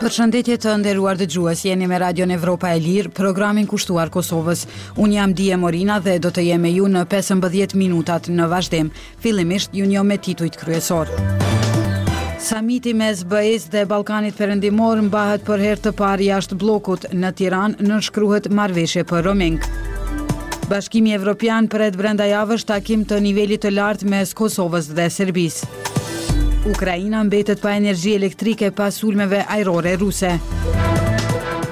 Përshëndetje të nderuar dëgjues, jeni me Radion Evropa e Lirë, programin kushtuar Kosovës. Unë jam Dije Morina dhe do të jem me ju në 15 minutat në vazhdim. Fillimisht ju njoh me titujt kryesorë. Samiti mes BE-së dhe Ballkanit Perëndimor mbahet për herë të parë jashtë bllokut. Në Tiranë nënshkruhet marrëveshje për roaming. Bashkimi Evropian pret brenda javësh takim të nivelit të lartë mes Kosovës dhe Serbisë. Ukraina mbetet pa energji elektrike pas sulmeve ajrore ruse.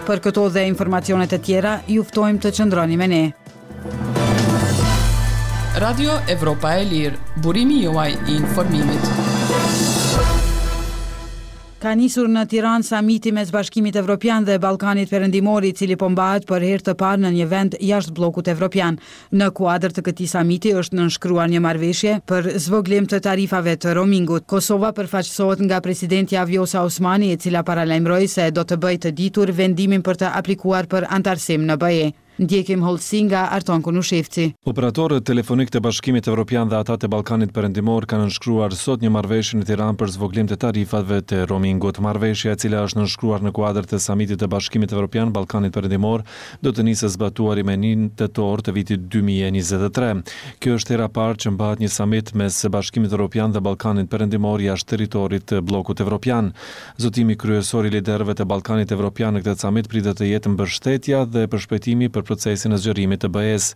Për këto dhe informacione të tjera, ju ftojmë të qëndroni me ne. Radio Evropa e Lirë, burimi juaj i informimit. Ka nisur në Tiranë samiti mes Bashkimit Evropian dhe Ballkanit Perëndimor, i cili po mbahet për herë të parë në një vend jashtë bllokut evropian. Në kuadër të këtij samiti është nënshkruar një marrëveshje për zvogëlim të tarifave të roamingut. Kosova përfaqësohet nga presidentja Vjosa Osmani, e cila paralajmëroi se do të bëjë të ditur vendimin për të aplikuar për anëtarësim në BE. Ndjekim hollësi nga Arton Konushevci. Operatorët telefonikë të Bashkimit Evropian dhe ata të Ballkanit Perëndimor kanë nënshkruar sot një marrëveshje në Tiranë për zvogëlim të tarifave të roamingut. Marrëveshja, e cila është nënshkruar në kuadër të Samitit të Bashkimit Evropian Ballkanit Perëndimor, do të nisë së zbatuari me një tetor të vitit 2023. Kjo është hera e parë që mbahet një samit mes Bashkimit Evropian dhe Ballkanit Perëndimor jashtë territorit të bllokut evropian. Zotimi kryesor i liderëve të Ballkanit Evropian në këtë samit pritet të jetë mbështetja dhe përshpejtimi për procesin e zgjerimit të BE-së.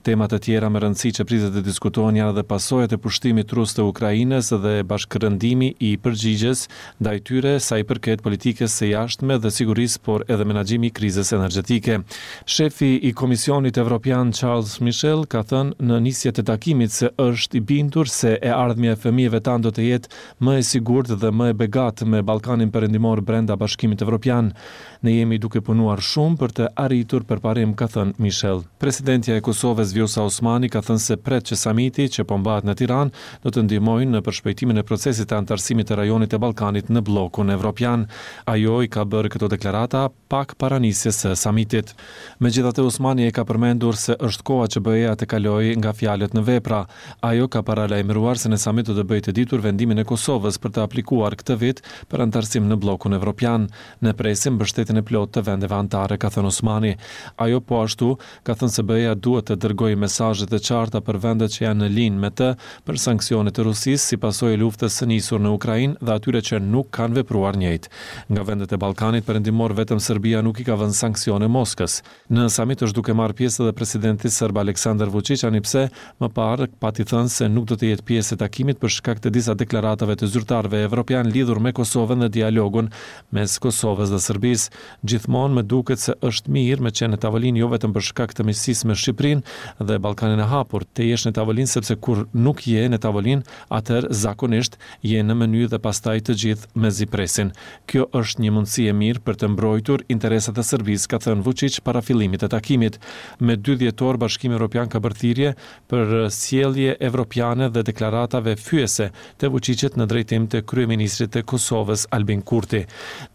Tema të tjera me rëndësi që pritet të diskutohen janë edhe pasojat e pushtimit rus të Ukrainës dhe bashkërendimi i përgjigjes ndaj tyre sa i përket politikës së jashtme dhe sigurisë por edhe menaxhimi i krizës energjetike. Shefi i Komisionit Evropian Charles Michel ka thënë në nisje të takimit se është i bindur se e ardhmja e fëmijëve tanë do të jetë më e sigurt dhe më e begatë me Ballkanin Perëndimor brenda Bashkimit Evropian. Ne jemi duke punuar shumë për të arritur përparim, ka thënë Michel. Presidentja e Kosovës, Vjosa Osmani, ka thënë se pret që samiti, që po mbahet në Tiranë, do të ndihmojë në përshpejtimin e procesit të anëtarësimit të rajonit të Ballkanit në bllokun evropian. Ajo i ka bërë këto deklarata pak para nisjes së samitit. Megjithatë, Osmani e ka përmendur se është koha që BE-ja të kalojë nga fjalët në vepra. Ajo ka paralajmëruar se në samit do të bëjë të ditur vendimin e Kosovës për të aplikuar këtë vit për anëtarësim në bllokun evropian. Ne presim mbështetjen e plotë të vendeve anëtare, ka thënë Osmani. Ajo po ashtu ka thënë se BE-ja duhet të dërgojë mesazhe të qarta për vendet që janë në linjë me të për sanksionet e Rusisë si pasojë e luftës së nisur në Ukrainë dhe atyre që nuk kanë vepruar njëjtë. Nga vendet e Ballkanit Perëndimor vetëm Serbia nuk i ka vënë sanksione Moskës. Në samit është duke marrë pjesë edhe presidenti serb Aleksandar Vuçiq ani pse më parë pati thënë se nuk do të jetë pjesë e takimit për shkak të disa deklaratave të zyrtarëve evropianë lidhur me Kosovën dhe dialogun mes Kosovës dhe Serbisë. Gjithmonë më duket se është mirë me qenë në tavolinë jo vetëm për shkak të miqësisë me Shqipërinë dhe Ballkanin e Hapur, të jesh në tavolinë sepse kur nuk je në tavolinë, atëherë zakonisht je në meny dhe pastaj të gjithë mezi presin. Kjo është një mundësi e mirë për të mbrojtur interesat e Serbisë, ka thënë Vuçiq para fillimit të takimit. Me dy dhjetor Bashkimi Evropian ka bërë thirrje për sjellje evropiane dhe deklaratave fyese të Vuçiqit në drejtim të kryeministrit të Kosovës, Albin Kurti.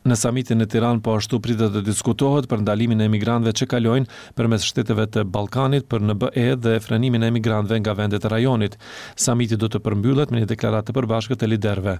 Në samitin në Tiranë po ashtu pritet të diskutohet për ndalimin e emigrantëve që kalojnë përmes shteteve të Ballkanit për në BE dhe frenimin e emigrantëve nga vendet e rajonit. Samiti do të përmbyllet me një deklaratë të përbashkët të liderëve.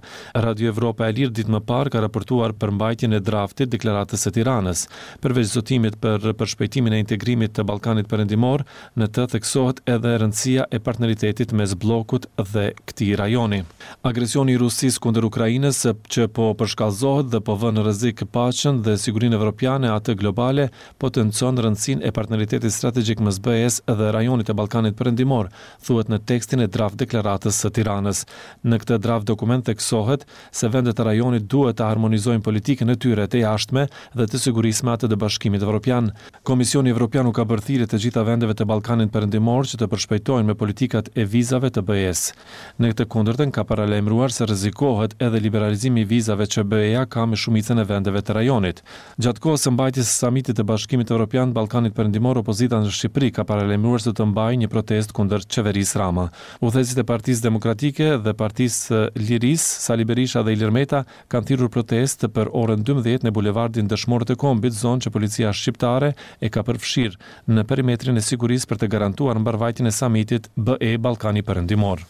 Radio Evropa e Lirë ditë më parë ka raportuar për mbajtjen e draftit Deklaratës së Tiranës. Përveç zotimit për përshpejtimin e integrimit të Ballkanit Perëndimor, Në të theksohet edhe rëndësia e partneritetit mes bllokut dhe këtij rajoni. Agresioni i Rusisë kundër Ukrainës, që po përshkallëzohet dhe po vë në rrezik paqen dhe sigurinë evropiane e atë globale, potencon rëndësinë e partneritetit strategjik mes BE-së dhe rajonit të Ballkanit Perëndimor, thuhet në tekstin e draft-deklaratës së Tiranës. Në këtë draft-dokument theksohet se vendet e rajonit duhet të harmonizojnë politikën e tyre të jashtme dhe të sigurisë me atë të Bashkimit Evropian. Komisioni Evropian u ka bërë thirrje të gjitha vendeve të Ballkanit Perëndimor që të përshpejtojnë me politikat e vizave të BE-së. Në të kundërtën ka paralajmëruar se rrezikohet edhe liberalizimi i vizave që BE-ja ka me shumicën e vendeve të rajonit. Gjatë kohës së mbajtjes së Samitit të Bashkimit Evropian Ballkanit Perëndimor opozita në Shqipëri ka paralajmëruar se do të mbajë një protestë kundër qeverisë Rama. Udhëheqësit e Partisë Demokratike dhe Partisë së Lirisë, Sali Berisha dhe Ilir Meta, kanë thirrur protestë për orën 12 në bulevardin Dëshmorët e Kombit, zonë që policia shqiptare e ka përfshirë në perimetrin e sigurisë për të garantuar mbarëvajtjen e samitit BE Ballkani Perëndimor.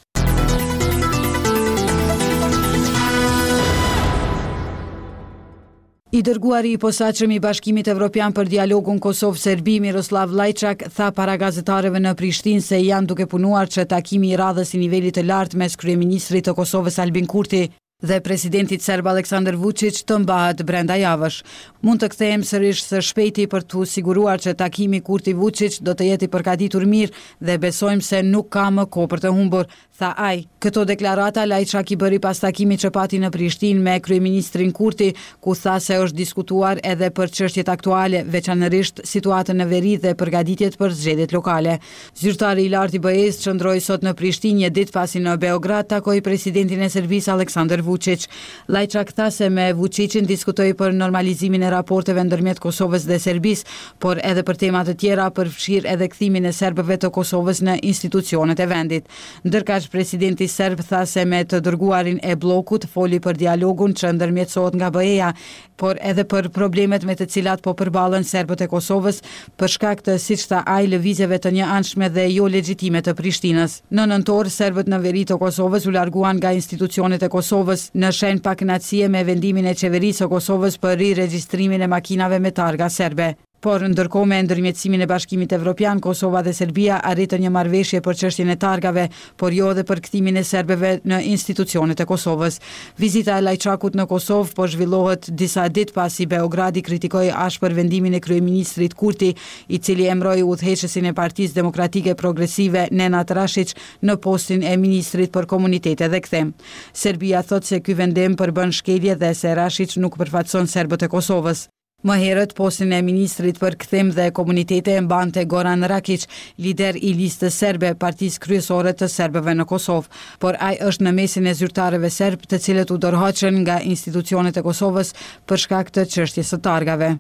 I dërguari i posaçëm i Bashkimit Evropian për dialogun Kosovë-Serbi, Miroslav Lajçak, tha para gazetarëve në Prishtinë se janë duke punuar që takimi i radhës i nivelit të lartë mes kryeministrit të Kosovës Albin Kurti dhe presidentit serb Aleksandar Vuçiq të mbahet brenda javësh. Mund të kthehem sërish së shpejti për t'u siguruar që takimi Kurti-Vuçiq do të jetë i përgatitur mirë dhe besojmë se nuk ka më kohë për të humbur, tha ai. Këto deklarata Lajçak i bëri pas takimit që pati në Prishtinë me kryeministrin Kurti, ku tha se është diskutuar edhe për çështjet aktuale, veçanërisht situatën në veri dhe përgatitjet për zgjedhjet lokale. Zyrtari i lartë i BE-së qëndroi sot në Prishtinë një ditë pasi në Beograd takoi presidentin e Serbisë Aleksandar Vuçiq. Lajçak tha se me Vuçiqin diskutoi për normalizimin e raporteve ndërmjet Kosovës dhe Serbisë, por edhe për tema të tjera, përfshirë edhe kthimin e serbëve të Kosovës në institucionet e vendit. Ndërkaq, presidenti serb tha se me të dërguarin e bllokut foli për dialogun që ndërmjetësohet nga BE-ja, por edhe për problemet me të cilat po përballen serbët e Kosovës, për shkak të, siç tha ai, lëvizjeve të njëanshme dhe jo legjitime të Prishtinës. Në nëntor, serbët në veri të Kosovës u larguan nga institucionet e Kosovës, në shenjë pakënaqësie me vendimin e Qeverisë së Kosovës për riregjistrimin e makinave me targa serbe. Por, ndërkohë me ndërmjetësimin e Bashkimit Evropian, Kosova dhe Serbia arritën një marrëveshje për çështjen e targave, por jo edhe për kthimin e serbëve në institucionet e Kosovës. Vizita e Lajçakut në Kosovë po zhvillohet disa ditë pasi Beogradi kritikoi ashpër vendimin e kryeministrit Kurti, i cili emëroi udhëheqësin e Partisë Demokratike Progresive, Nenad Rashiq, në postin e ministrit për Komunitete dhe Kthim. Serbia thotë se ky vendim përbën shkelje dhe se Rashiq nuk përfaqëson serbët e Kosovës. Më herët, postin e ministrit për Kthim dhe Komunitete e mbante Goran Rakiq, lider i Listës Serbe, partisë kryesore të serbëve në Kosovë. Por ai është në mesin e zyrtarëve serbë të cilët u dorëhoqën nga institucionet e Kosovës për shkak të çështjes së targave.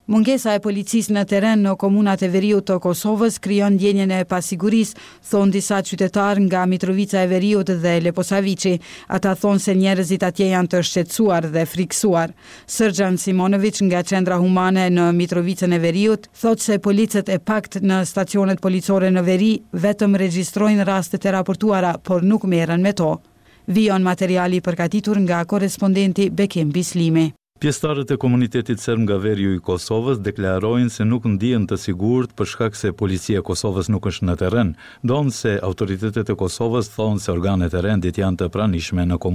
Mungesa e policisë në terren në komunat e veriut të Kosovës krijon ndjenjën e pasigurisë, thonë disa qytetarë nga Mitrovica e Veriut dhe Leposaviqi. Ata thonë se njerëzit atje janë të shqetësuar dhe frikësuar. Sërgjan Simonoviq nga Qendra Humane në Mitrovicën e Veriut, thotë se policët e paktë në stacionet policore në veri vetëm regjistrojnë rastet e raportuara, por nuk merren me to. Vijon materiali i përgatitur nga korrespondenti Bekim Bislimi. Pjesëtarët e komunitetit serb nga veriu i Kosovës deklarojnë se nuk ndihen të sigurt për shkak se Policia e Kosovës nuk është në terren, ndonëse autoritetet e Kosovës thonë se organet e rendit janë të pranishme në komunitet.